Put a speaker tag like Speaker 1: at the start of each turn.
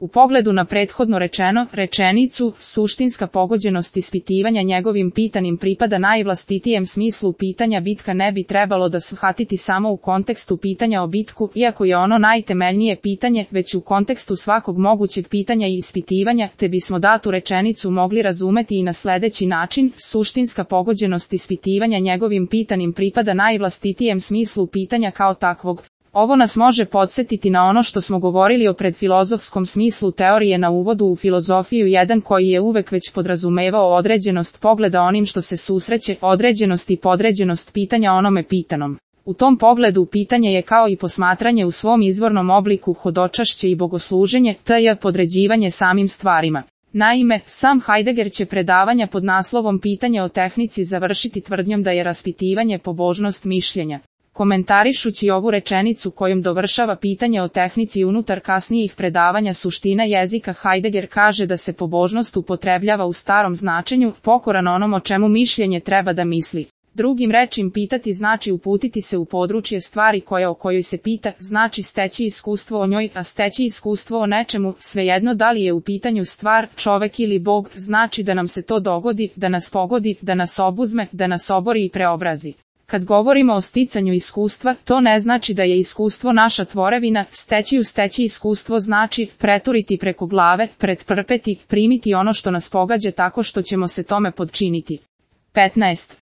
Speaker 1: U pogledu na prethodno rečeno, rečenicu, suštinska pogođenost ispitivanja njegovim pitanim pripada najvlastitijem smislu pitanja bitka ne bi trebalo da shvatiti samo u kontekstu pitanja o bitku, iako je ono najtemeljnije pitanje, već u kontekstu svakog mogućeg pitanja i ispitivanja, te bismo datu rečenicu mogli razumeti i na sledeći način, suštinska pogođenost ispitivanja njegovim pitanim pripada najvlastitijem smislu pitanja kao takvog. Ovo nas može podsjetiti na ono što smo govorili o predfilozofskom smislu teorije na uvodu u filozofiju 1 koji je uvek već podrazumevao određenost pogleda onim što se susreće, određenost i podređenost pitanja onome pitanom. U tom pogledu pitanje je kao i posmatranje u svom izvornom obliku hodočašće i bogosluženje, tj. podređivanje samim stvarima. Naime, sam Heidegger će predavanja pod naslovom Pitanje o tehnici završiti tvrdnjom da je raspitivanje pobožnost mišljenja. Komentarišući ovu rečenicu kojom dovršava pitanje o tehnici unutar kasnijih predavanja suština jezika, Heidegger kaže da se pobožnost upotrebljava u starom značenju, pokoran onom o čemu mišljenje treba da misli. Drugim rečim, pitati znači uputiti se u područje stvari o kojoj se pita, znači steći iskustvo o njoj, a steći iskustvo o nečemu, svejedno da li je u pitanju stvar, čovek ili Bog, znači da nam se to dogodi, da nas pogodi, da nas obuzme, da nas obori i preobrazi. Kad govorimo o sticanju iskustva, to ne znači da je iskustvo naša tvorevina, steći iskustvo znači preturiti preko glave, pretrpeti, primiti ono što nas pogađa tako što ćemo se tome podčiniti. 15.